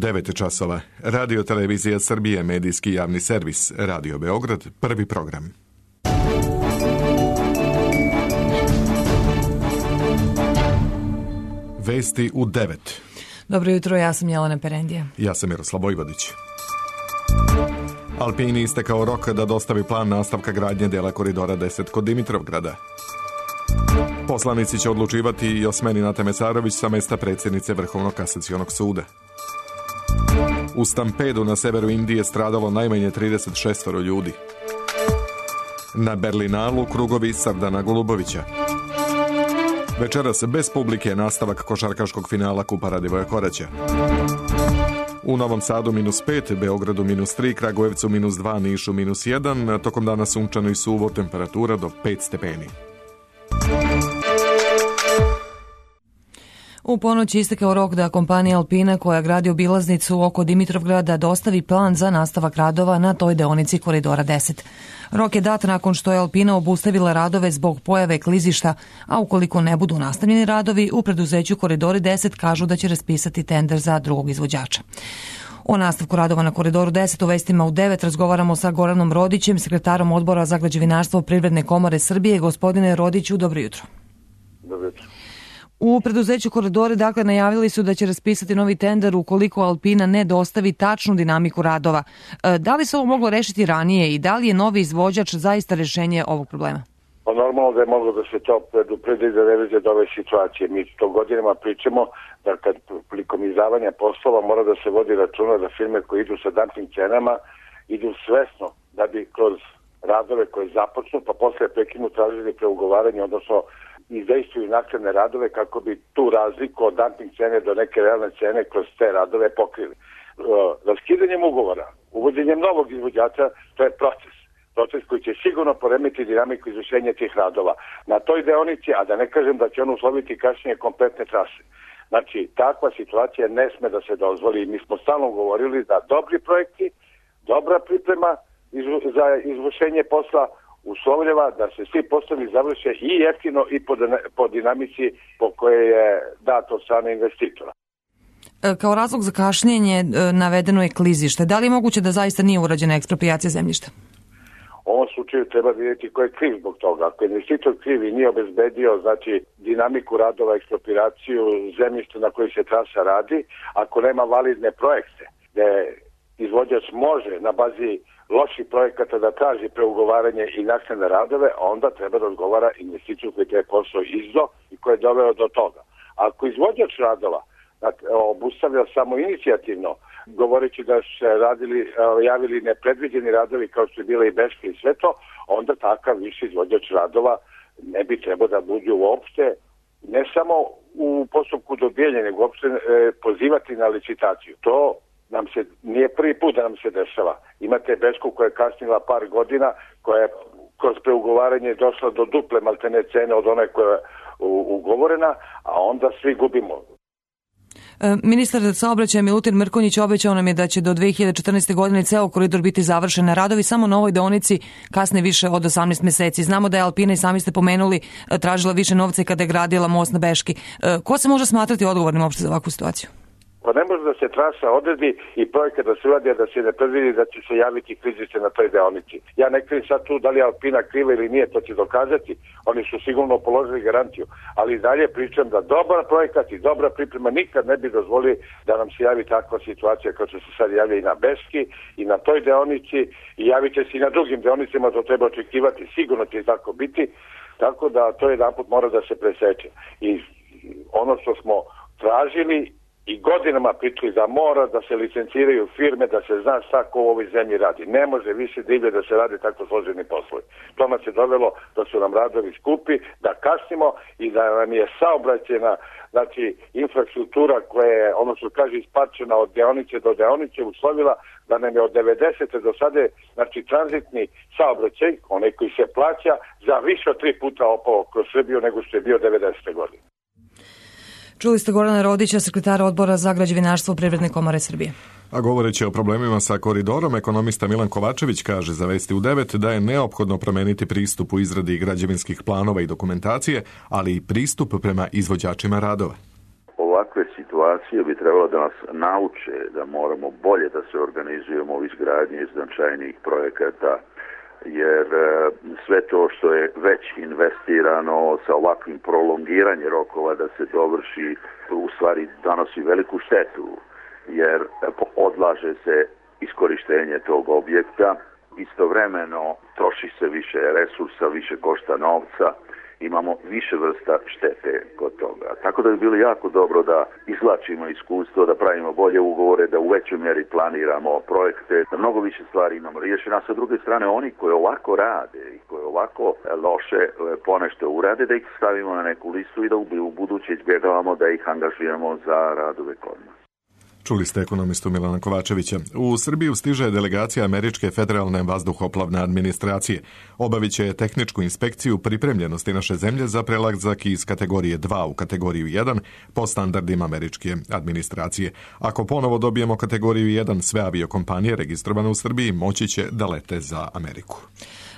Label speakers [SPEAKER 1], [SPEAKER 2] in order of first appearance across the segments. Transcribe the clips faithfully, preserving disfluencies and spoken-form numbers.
[SPEAKER 1] devet časova. Radio Televizija Srbije, medijski javni servis, Radio Beograd, prvi program. Vesti u devet.
[SPEAKER 2] Dobro jutro, ja sam Jelena Perendija.
[SPEAKER 1] Ja sam Miroslav Vojvodić. Alpini istekao rok da dostavi plan nastavka gradnje dela koridora deset kod Dimitrovgrada. Poslanici će odlučivati i o smeni Nate Mesarović sa mesta predsjednice Vrhovnog kasacionog suda. U stampedu na severu Indije stradalo najmanje trideset šest ljudi. Na Berlinalu krugovi Sardana Golubovića. Večeras bez publike nastavak košarkaškog finala Kupa Radivoja Koraća. U Novom Sadu minus pet, Beogradu minus tri, Kragujevcu minus dva, Nišu minus jedan, tokom dana sunčano i suvo, temperatura do pet stepeni.
[SPEAKER 2] U ponoć istekao rok da kompanija Alpina koja gradi obilaznicu oko Dimitrovgrada dostavi plan za nastavak radova na toj deonici koridora deset. Rok je dat nakon što je Alpina obustavila radove zbog pojave klizišta, a ukoliko ne budu nastavljeni radovi, u preduzeću Koridori deset kažu da će raspisati tender za drugog izvođača. O nastavku radova na Koridoru deset u vestima u devet razgovaramo sa Goranom Rodićem, sekretarom Odbora za građevinarstvo Privredne komore Srbije. Gospodine Rodiću, dobro jutro.
[SPEAKER 3] Dobro jutro.
[SPEAKER 2] U preduzeću Koridori, dakle, najavili su da će raspisati novi tender ukoliko Alpina ne dostavi tačnu dinamiku radova. Da li se ovo moglo rešiti ranije i da li je novi izvođač zaista rešenje ovog problema?
[SPEAKER 3] Pa normalno da je moglo da se to predupredi da ne dođe do ove situacije. Mi to godinama pričamo da kad prilikom izdavanja poslova mora da se vodi računa da firme koje idu sa dumping cenama idu svesno da bi kroz radove koje započnu pa posle prekinu tražili preugovaranje, odnosno izdejstvuju naknadne radove kako bi tu razliku od dumping cene do neke realne cene kroz te radove pokrili. Raskidanjem ugovora, uvođenjem novog izvođača, to je proces. Proces koji će sigurno poremeti dinamiku izvršenja tih radova. Na toj deonici, a da ne kažem da će on usloviti kasnije kompletne trase. Znači, takva situacija ne sme da se dozvoli. Mi smo stalno govorili da dobri projekti, dobra priprema za izvršenje posla uslovljava da se svi poslovi završe i jeftino i po, po dinamici po kojoj je dato od strane investitora.
[SPEAKER 2] Kao razlog za kašnjenje navedeno je klizište. Da li je moguće da zaista nije urađena eksproprijacija zemljišta?
[SPEAKER 3] U ovom slučaju treba vidjeti ko je kriv zbog toga. Ako je investitor kriv i nije obezbedio znači, dinamiku radova, eksproprijaciju zemljišta na kojoj se trasa radi, ako nema validne projekte, gde izvođač može na bazi loših projekata da traži preugovaranje i naknadne radove, onda treba da odgovara investiciju koji je posao izdo i koji je doveo do toga. Ako izvođač radova obustavlja samo inicijativno, govoreći da se radili, javili nepredviđeni radovi kao što je bila i Beška i sve to, onda takav viši izvođač radova ne bi trebao da budu uopšte, ne samo u postupku dobijanja, nego uopšte e, pozivati na licitaciju. To nam se nije prvi put da nam se dešava. Imate Bešku koja je kasnila par godina, koja je kroz preugovaranje došla do duple maltene cene od one koja je ugovorena, a onda svi gubimo.
[SPEAKER 2] Ministar saobraćaja Milutin Mrkonjić obećao nam je da će do dve hiljade četrnaeste. godine ceo koridor biti završen. Radovi samo na ovoj deonici kasne više od osamnaest meseci. Znamo da je Alpina, i sami ste pomenuli, tražila više novca kada je gradila most na Beški. Ko se može smatrati odgovornim uopšte za ovakvu situaciju?
[SPEAKER 3] Pa ne može da se trasa odredi i projekat da se uradi, da se ne predvidi da će se javiti klizište na toj deonici. Ja ne krivim sad tu da li je Alpina kriva ili nije, to će dokazati. Oni su sigurno položili garanciju. Ali dalje pričam da dobar projekat i dobra priprema nikad ne bi dozvolili da nam se javi takva situacija kao što se sad javlja i na Beški i na toj deonici i javit će se i na drugim deonicama, to treba očekivati. Sigurno će tako biti. Tako da to jedan put mora da se preseče. I ono što smo tražili i godinama pričali da mora da se licenciraju firme, da se zna šta ko u ovoj zemlji radi. Ne može više divlje da se radi tako složeni poslovi. To nas je dovelo da su nam radovi skupi, da kasnimo i da nam je saobraćena znači, infrastruktura koja je, ono što kaže, isparčena od deonice do deonice, uslovila da nam je od devedesete do sada, znači tranzitni saobraćaj, onaj koji se plaća, za više od tri puta opao kroz Srbiju nego što je bio devedesete. godine.
[SPEAKER 2] Čuli ste Gorana Rodića, sekretara Odbora za građevinarstvo Privredne komore Srbije.
[SPEAKER 1] A govoreći o problemima sa koridorom, ekonomista Milan Kovačević kaže za Vesti u devet da je neophodno promeniti pristup u izradi građevinskih planova i dokumentacije, ali i pristup prema izvođačima radova.
[SPEAKER 3] U
[SPEAKER 4] ovakve situacije bi trebalo da nas nauče da moramo bolje da se organizujemo u izgradnji značajnijih projekata, jer sve to što je već investirano sa ovakvim prolongiranjem rokova da se dovrši u stvari donosi veliku štetu, jer odlaže se iskorištenje tog objekta, istovremeno troši se više resursa, više košta novca, imamo više vrsta štete kod toga. Tako da bi bilo jako dobro da izvlačimo iskustvo, da pravimo bolje ugovore, da u većoj mjeri planiramo projekte, da mnogo više stvari imamo riješeno. A sa druge strane, oni koji ovako rade i koji ovako loše ponešto urade, da ih stavimo na neku listu i da u buduće izbjegavamo da ih angažujemo za radove kod nas.
[SPEAKER 1] Čuli ste ekonomistu Milana Kovačevića. U Srbiju stiže delegacija Američke federalne vazduhoplovne administracije. Obavit će tehničku inspekciju pripremljenosti naše zemlje za prelazak iz kategorije dva u kategoriju jedan po standardima američke administracije. Ako ponovo dobijemo kategoriju jedan, sve aviokompanije registrovane u Srbiji moći će da lete za Ameriku.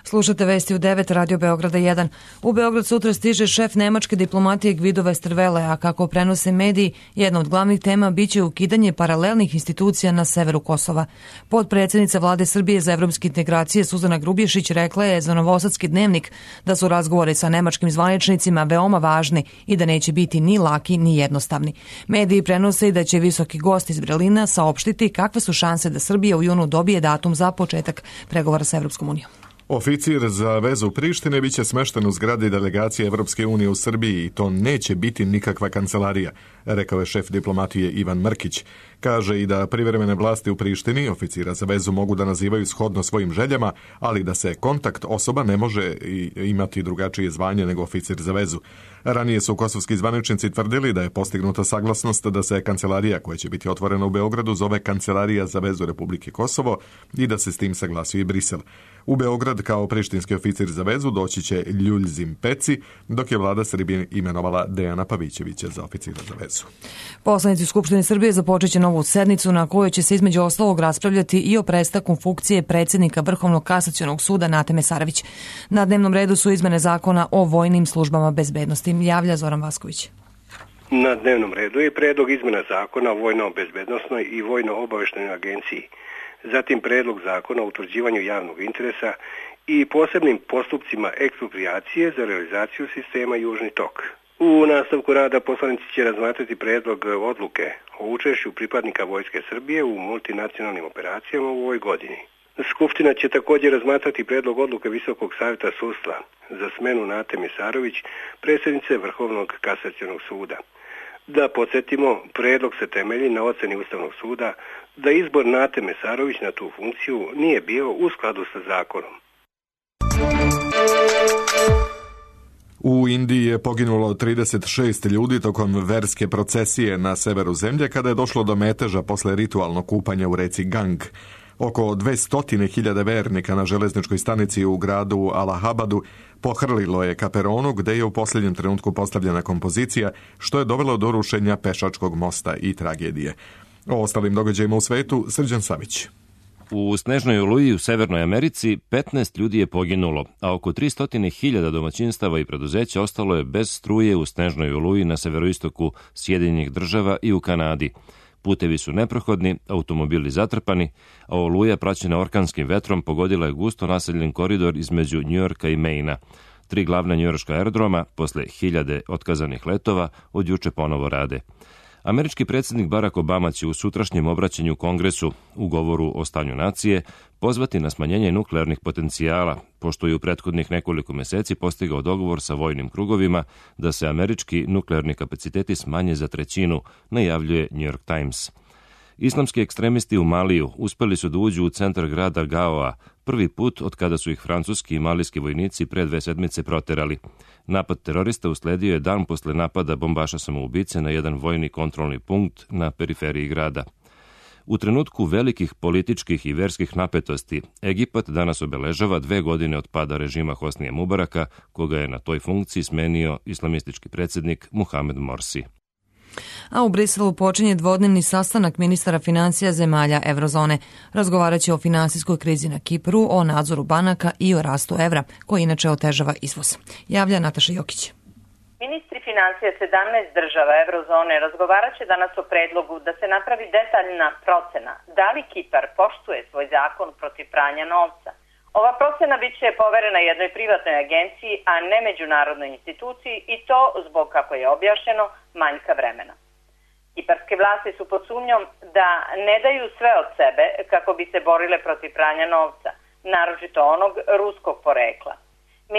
[SPEAKER 2] Slušate vesti u devet Radio Beograda jedan. U Beograd sutra stiže šef nemačke diplomatije Gvido Westerwelle, a kako prenose mediji, jedna od glavnih tema biće ukidanje paralelnih institucija na severu Kosova. Potpredsjednica vlade Srbije za evropske integracije Suzana Grubješić rekla je za Novosadski dnevnik da su razgovori sa nemačkim zvaničnicima veoma važni i da neće biti ni laki ni jednostavni. Mediji prenose i da će visoki gost iz Berlina saopštiti kakve su šanse da Srbija u junu dobije datum za početak pregovora sa Evropskom unijom.
[SPEAKER 1] Oficir za vezu Prištine biće smešten u zgradi delegacije Evropske unije u Srbiji i to neće biti nikakva kancelarija, rekao je šef diplomatije Ivan Mrkić. Kaže i da privremene vlasti u Prištini oficira za vezu mogu da nazivaju shodno svojim željama, ali da se kontakt osoba ne može imati drugačije zvanje nego oficir za vezu. Ranije su kosovski zvaničnici tvrdili da je postignuta saglasnost da se kancelarija koja će biti otvorena u Beogradu zove Kancelarija za vezu Republike Kosovo i da se s tim saglasio i Brisel. U Beograd kao prištinski oficir za vezu doći će Ljuljzim Peci, dok je vlada Srbije imenovala Dejana Pavićevića za oficira za vezu.
[SPEAKER 2] Poslanici u Skupštini Srbije započet će novu sednicu na kojoj će se između ostalog raspravljati i o prestanku funkcije predsjednika Vrhovnog kasacionog suda Nate Mesarović. Na dnevnom redu su izmene zakona o vojnim službama bezbednosti. Javlja Zoran Vasković.
[SPEAKER 5] Na dnevnom redu je predlog izmena zakona o vojno-bezbednosnoj i vojno-obavještajnoj agenciji, zatim predlog zakona o utvrđivanju javnog interesa i posebnim postupcima eksproprijacije za realizaciju sistema Južni tok. U nastavku rada poslanici će razmatrati predlog odluke o učešću pripadnika Vojske Srbije u multinacionalnim operacijama u ovoj godini. Skupština će također razmatrati predlog odluke Visokog savjeta sudstva za smenu Nate Mesarović, predsjednice Vrhovnog kasacionog suda. Da podsjetimo, predlog se temelji na ocjeni Ustavnog suda da izbor Nate Mesarović na tu funkciju nije bio u skladu sa zakonom.
[SPEAKER 1] U Indiji je poginulo trideset šest ljudi tokom verske procesije na severu zemlje kada je došlo do meteža posle ritualnog kupanja u reci Gang. Oko dvesta hiljada vernika na železničkoj stanici u gradu Allahabadu pohrlilo je ka peronu gde je u posljednjem trenutku postavljena kompozicija, što je dovelo do rušenja pešačkog mosta i tragedije. O ostalim događajima u svetu, Srđan Savić.
[SPEAKER 6] U snežnoj oluji u Severnoj Americi petnaest ljudi je poginulo, a oko tristo hiljada domaćinstava i preduzeća ostalo je bez struje u snežnoj oluji na severoistoku Sjedinjenih Država i u Kanadi. Putevi su neprohodni, automobili zatrpani, a oluja praćena orkanskim vetrom pogodila je gusto naseljen koridor između Njujorka i Maina. Tri glavna njujorška aerodroma, posle hiljade otkazanih letova, od juče ponovo rade. Američki predsjednik Barack Obama će u sutrašnjem obraćanju Kongresu u govoru o stanju nacije pozvati na smanjenje nuklearnih potencijala, pošto je u prethodnih nekoliko meseci postigao dogovor sa vojnim krugovima da se američki nuklearni kapaciteti smanje za trećinu, najavljuje New York Times. Islamski ekstremisti u Maliju uspeli su da uđu u centar grada Gaoa, prvi put od kada su ih francuski i malijski vojnici pre dve sedmice proterali. Napad terorista usledio je dan posle napada bombaša samoubice na jedan vojni kontrolni punkt na periferiji grada. U trenutku velikih političkih i verskih napetosti, Egipat danas obeležava dve godine od pada režima Hosnija Mubaraka, koga je na toj funkciji smenio islamistički predsjednik Muhamed Morsi.
[SPEAKER 2] A u Briselu počinje dvodnevni sastanak ministara financija zemalja Evrozone. Razgovarat će o finansijskoj krizi na Kipru, o nadzoru banaka i o rastu evra, koji inače otežava izvoz. Javlja Nataša Jokić.
[SPEAKER 7] Ministri financija sedamnaest država eurozone razgovarat će danas o predlogu da se napravi detaljna procena da li Kipar poštuje svoj zakon protiv pranja novca. Ova procena bit će poverena jednoj privatnoj agenciji, a ne međunarodnoj instituciji i to zbog, kako je objašnjeno, manjka vremena. Kiparske vlasti su pod sumnjom da ne daju sve od sebe kako bi se borile protiv pranja novca, naročito onog ruskog porekla.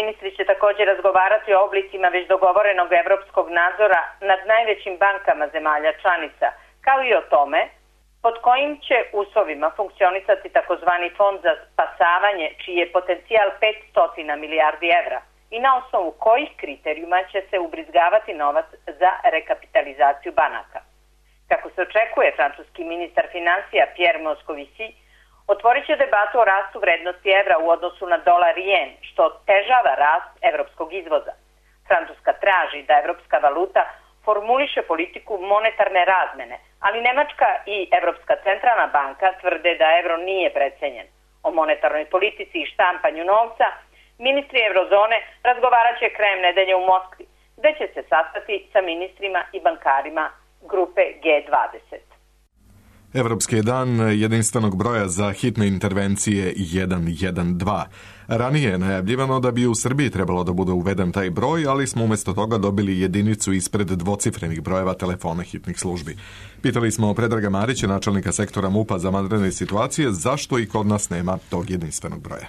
[SPEAKER 7] Ministri će također razgovarati o oblicima već dogovorenog evropskog nadzora nad najvećim bankama zemalja članica, kao i o tome pod kojim će uslovima funkcionisati takozvani fond za spasavanje, čiji je potencijal petsto milijardi evra i na osnovu kojih kriterijuma će se ubrizgavati novac za rekapitalizaciju banaka. Kako se očekuje, francuski ministar financija Pierre Moscovici otvorit će debatu o rastu vrednosti evra u odnosu na dolar i jen, što otežava rast evropskog izvoza. Francuska traži da evropska valuta formuliše politiku monetarne razmene, ali Nemačka i Evropska centralna banka tvrde da evro nije precenjen. O monetarnoj politici i štampanju novca ministri eurozone razgovarat će krajem nedelje u Moskvi, gde će se sastati sa ministrima i bankarima grupe G dvadeset.
[SPEAKER 1] Evropski je dan jedinstvenog broja za hitne intervencije jedan jedan dva. Ranije je najavljivano da bi u Srbiji trebalo da bude uveden taj broj, ali smo umjesto toga dobili jedinicu ispred dvocifrenih brojeva telefona hitnih službi. Pitali smo Predraga Marića, načelnika sektora MUP-a za vanredne situacije, zašto i kod nas nema tog jedinstvenog broja.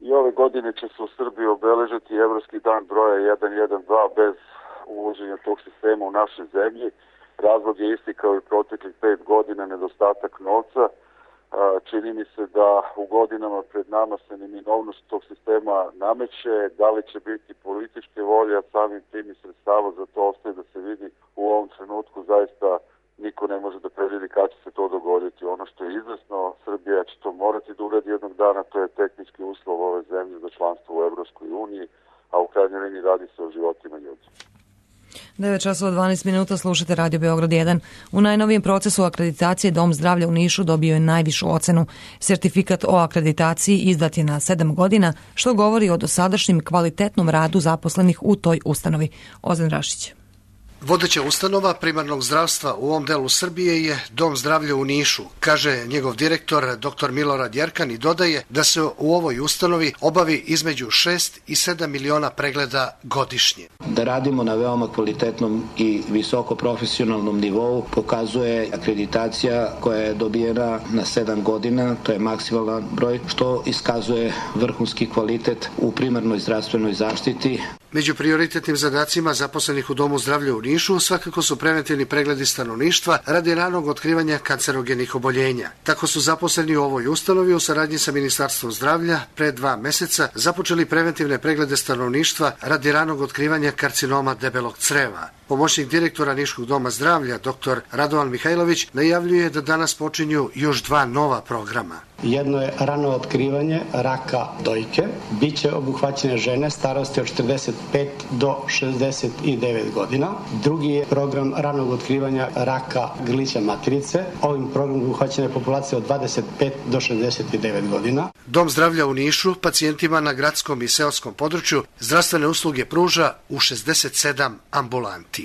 [SPEAKER 8] I ove godine će se u Srbiji obeležiti Evropski dan broja jedan jedan dva bez uvođenja tog sistema u našoj zemlji. Razlog je isti kao i proteklih pet godina, nedostatak novca. Čini mi se da u godinama pred nama se neminovnost tog sistema nameće. Da li će biti političke volje, a samim tim i sredstava za to ostaje da se vidi. U ovom trenutku zaista niko ne može da predvidi kada će se to dogoditi. Ono što je izvesno, Srbija će to morati da uradi jednog dana, to je tehnički uslov ove zemlje za članstvo u Evropskoj uniji, a u krajnjoj liniji radi se o životima ljudi.
[SPEAKER 2] devet časova dvanaest minuta, slušate Radio Beograd jedan. U najnovijem procesu akreditacije Dom zdravlja u Nišu dobio je najvišu ocenu. Sertifikat o akreditaciji izdat je na sedam godina, što govori o dosadašnjem kvalitetnom radu zaposlenih u toj ustanovi. Ozan Rašić.
[SPEAKER 9] Vodeća ustanova primarnog zdravstva u ovom delu Srbije je Dom zdravlja u Nišu, kaže njegov direktor dr Milorad Jerkan i dodaje da se u ovoj ustanovi obavi između šest i sedam miliona pregleda godišnje.
[SPEAKER 10] Da radimo na veoma kvalitetnom i visoko profesionalnom nivou pokazuje akreditacija koja je dobijena na sedam godina, to je maksimalan broj, što iskazuje vrhunski kvalitet u primarnoj zdravstvenoj zaštiti.
[SPEAKER 9] Među prioritetnim zadacima zaposlenih u Domu zdravlja u Nišu svakako su preventivni pregledi stanovništva radi ranog otkrivanja kancerogenih oboljenja. Tako su zaposleni u ovoj ustanovi u saradnji sa Ministarstvom zdravlja pre dva meseca započeli preventivne preglede stanovništva radi ranog otkrivanja karcinoma debelog creva. Pomoćnik direktora Niškog doma zdravlja, dr Radovan Mihajlović, najavljuje da danas počinju još dva nova programa.
[SPEAKER 11] Jedno je rano otkrivanje raka dojke. Biće obuhvaćene žene starosti od četrdeset pet do šezdeset devet godina. Drugi je program ranog otkrivanja raka grlića materice. Ovim programom obuhvaćena je populacija od dvadeset pet do šezdeset devet godina.
[SPEAKER 9] Dom zdravlja u Nišu pacijentima na gradskom i seoskom području zdravstvene usluge pruža u šezdeset sedam ambulanti.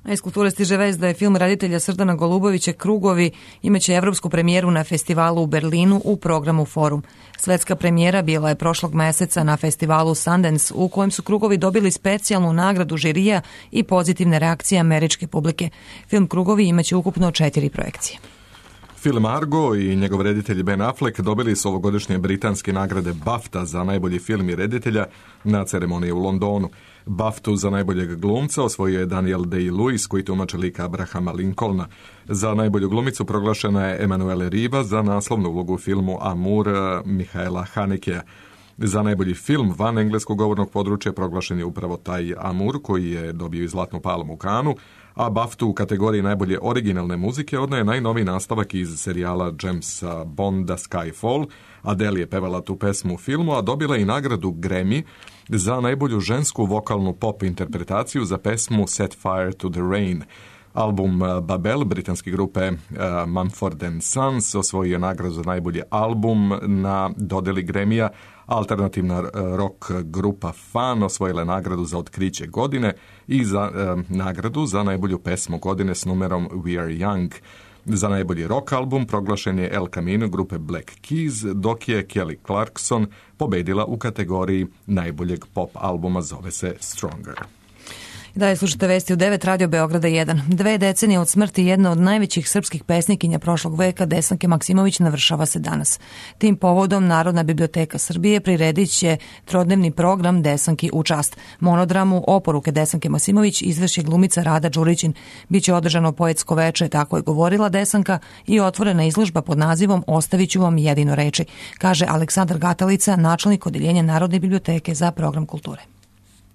[SPEAKER 2] A iz kulture stiže vest da je film reditelja Srdana Golubovića Krugovi imaće evropsku premijeru na festivalu u Berlinu u programu Forum. Svetska premijera bila je prošlog meseca na festivalu Sundance, u kojem su Krugovi dobili specijalnu nagradu žirija i pozitivne reakcije američke publike. Film Krugovi imaće ukupno četiri projekcije.
[SPEAKER 1] Film Argo i njegov reditelj Ben Affleck dobili su ovogodišnje britanske nagrade BAFTA za najbolji film i reditelja na ceremoniji u Londonu. BAFTU za najboljeg glumca osvojio je Daniel Day-Lewis, koji tumači lika Abrahama Lincolna. Za najbolju glumicu proglašena je Emanuele Riva za naslovnu ulogu u filmu Amour Mihaela Hanekea. Za najbolji film van engleskog govornog područja proglašen je upravo taj Amour, koji je dobio i Zlatnu palmu u Kanu, a BAFTU u kategoriji najbolje originalne muzike odnaje najnoviji nastavak iz serijala Jamesa Bonda Skyfall. Adele je pevala tu pesmu u filmu, a dobila i nagradu Grammy za najbolju žensku vokalnu pop interpretaciju za pesmu Set Fire to the Rain. Album Babel britanske grupe uh, Mumford and Sons osvojio je nagradu za najbolji album na dodeli Grammyja, Alternativna rock grupa Fan osvojila je nagradu za otkriće godine i za eh, nagradu za najbolju pesmu godine s numerom We Are Young. Za najbolji rock album proglašen je El Camino grupe Black Keys, dok je Kelly Clarkson pobedila u kategoriji najboljeg pop albuma, zove se Stronger.
[SPEAKER 2] Dalje slušate vesti u devet, Radio Beograda jedan. Dve decenije od smrti jedna od najvećih srpskih pesnikinja prošlog veka, Desanke Maksimović, navršava se danas. Tim povodom Narodna biblioteka Srbije priredit će trodnevni program Desanki u čast. Monodramu Oporuke Desanke Maksimović izvrši glumica Rada Đurićin. Biće održano poetsko veče, tako je govorila Desanka, i otvorena izložba pod nazivom Ostaviću vam jedino reči, kaže Aleksandar Gatalica, načelnik odeljenja Narodne biblioteke za program kulture.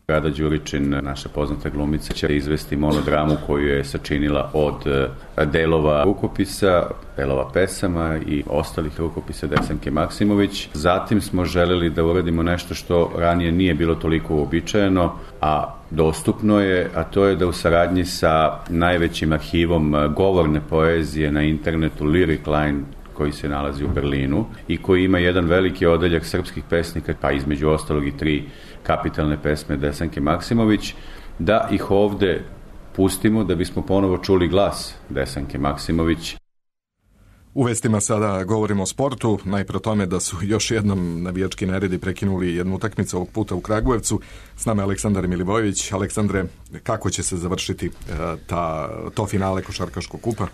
[SPEAKER 12] Rada Đurićin, naša poznata glumica, će izvesti monodramu koju je sačinila od delova rukopisa, delova pesama i ostalih rukopisa Desanke Maksimović. Zatim smo želeli da uradimo nešto što ranije nije bilo toliko uobičajeno, a dostupno je, a to je da u saradnji sa najvećim arhivom govorne poezije na internetu Lyric Line, koji se nalazi u Berlinu i koji ima jedan veliki odeljak srpskih pesnika, pa između ostalog i tri kapitalne pesme Desanke Maksimović, da ih ovde pustimo da bismo ponovo čuli glas Desanke Maksimović.
[SPEAKER 1] U vestima sada govorimo o sportu, najpre o tome da su još jednom navijački neredi prekinuli jednu utakmicu ovog puta u Kragujevcu. S nama je Aleksandar Milivojević. Aleksandre, kako će se završiti ta, to finale košarkaškog kupa?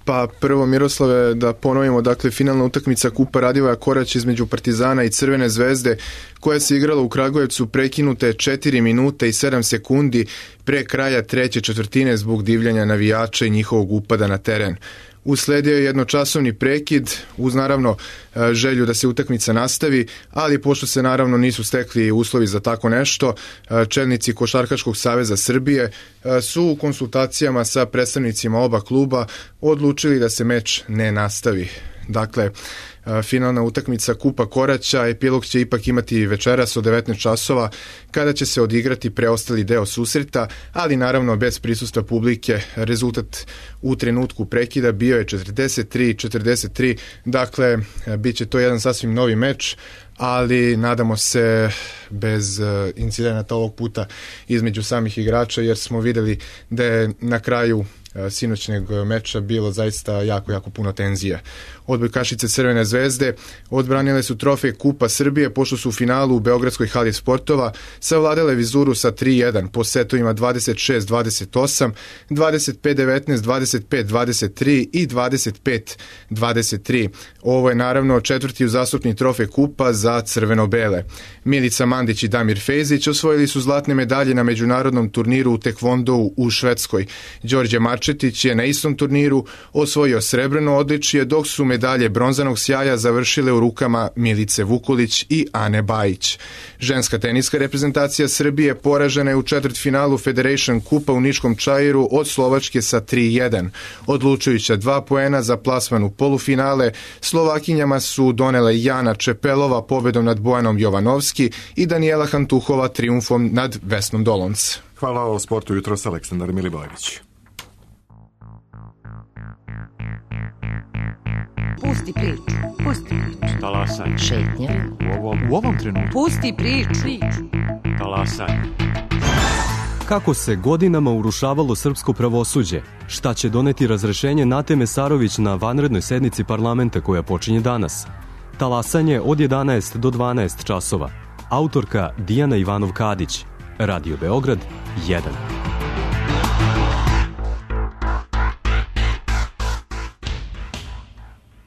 [SPEAKER 13] Pa prvo, Miroslave, da ponovimo, dakle, finalna utakmica Kupa Radivoja Korać između Partizana i Crvene zvezde, koja se igrala u Kragujevcu, prekinuta je četiri minute i sedam sekundi pre kraja treće četvrtine zbog divljanja navijača i njihovog upada na teren. Usledio je jednočasovni prekid uz naravno želju da se utakmica nastavi, ali pošto se naravno nisu stekli uslovi za tako nešto, čelnici Košarkaškog saveza Srbije su u konsultacijama sa predstavnicima oba kluba odlučili da se meč ne nastavi. Dakle, finalna utakmica Kupa Koraća, epilog će ipak imati večeras od devetnaest časova, kada će se odigrati preostali deo susreta, ali naravno bez prisustva publike. Rezultat u trenutku prekida bio je četrdeset tri četrdeset tri, dakle, bit će to jedan sasvim novi meč, ali nadamo se bez incidenata ovog puta između samih igrača, jer smo videli da je na kraju sinoćnjeg meča bilo zaista jako, jako puno tenzija. Odbojkašice Crvene zvezde odbranile su trofej Kupa Srbije, pošto su u finalu u Beogradskoj hali sportova savladale Vizuru sa tri jedan po setovima dvadeset šest dvadeset osam, dvadeset pet devetnaest, dvadeset pet dvadeset tri i dvadeset pet dvadeset tri. Ovo je naravno četvrti uzastopni trofej Kupa za crveno-bele. Milica Mandić i Damir Fejzić osvojili su zlatne medalje na međunarodnom turniru u tekvondou u Švedskoj. Đorđe Marčetić je na istom turniru osvojio srebrno odličje, dok su medalje bronzanog sjaja završile u rukama Milice Vukulić i Ane Bajić. Ženska teniska reprezentacija Srbije poražena je u četvrtfinalu Federation Kupa u Niškom Čairu od Slovačke sa tri jedan. Odlučujuća dva poena za plasman u polufinale Slovakinjama su donele Jana Čepelova pobedom nad Bojanom Jovanovski i Danijela Hantuhova trijumfom nad Vesnom Dolonc.
[SPEAKER 1] Hvala o sportu jutros, Aleksandar Milivojević.
[SPEAKER 14] Pusti priču, pusti priču.
[SPEAKER 15] Talasaj.
[SPEAKER 14] Šetnja.
[SPEAKER 15] U ovom, u ovom trenutku.
[SPEAKER 14] Pusti priču.
[SPEAKER 15] Talasaj.
[SPEAKER 16] Kako se godinama urušavalo srpsko pravosuđe? Šta će doneti razrešenje Nate Mesarović na vanrednoj sednici parlamenta koja počinje danas? Talasanje od jedanaest do dvanaest časova. Autorka Dijana Ivanov-Kadić. Radio Beograd jedan.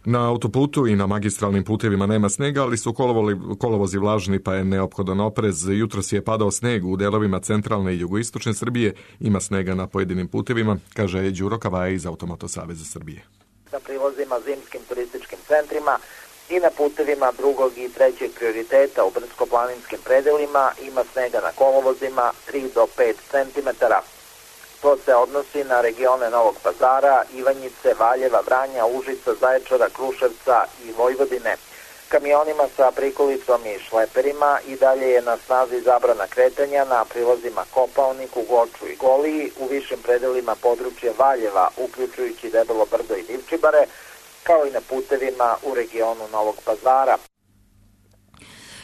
[SPEAKER 1] Na autoputu i na magistralnim putevima nema snega, ali su kolovozi vlažni, pa je neophodan oprez. Jutros je padao sneg u delovima centralne i jugoistočne Srbije. Ima snega na pojedinim putevima, kaže Đuro Kavaja iz Automoto saveza Srbije.
[SPEAKER 17] Na prilazima zimskim turističkim centrima i na putevima drugog i trećeg prioriteta u brdsko-planinskim predelima ima snega na kolovozima tri do pet centimetara. To se odnosi na regione Novog Pazara, Ivanjice, Valjeva, Vranja, Užica, Zaječara, Kruševca i Vojvodine. Kamionima sa prikolicom i šleperima i dalje je na snazi zabrana kretanja na prilazima Kopaoniku, Goču i Goliji, u višim predelima područja Valjeva, uključujući Debelo Brdo i Divčibare, kao i na putevima u regionu Novog Pazara.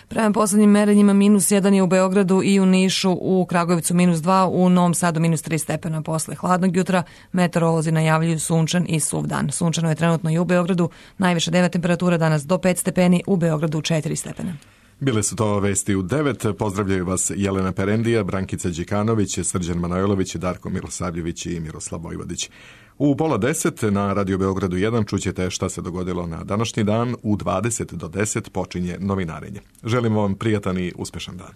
[SPEAKER 2] Prema poslednjim merenjima minus jedan je u Beogradu i u Nišu, u Kragujevcu minus dva, u Novom Sadu minus tri stepena posle hladnog jutra. Meteorolozi najavljuju sunčan i suv dan. Sunčano je trenutno i u Beogradu, najviša dnevna temperatura danas do pet stepeni, u Beogradu četiri stepena.
[SPEAKER 1] Bile su to vesti u devet. Pozdravljaju vas Jelena Perendija, Brankica Đikanović, Srđan Manojlović, Darko Milosavljević i Miroslav Vojvodić. U pola deset na Radio Beogradu jedan čućete šta se dogodilo na današnji dan. U dvadeset do deset počinje novinarenje. Želimo vam prijatan i uspešan dan.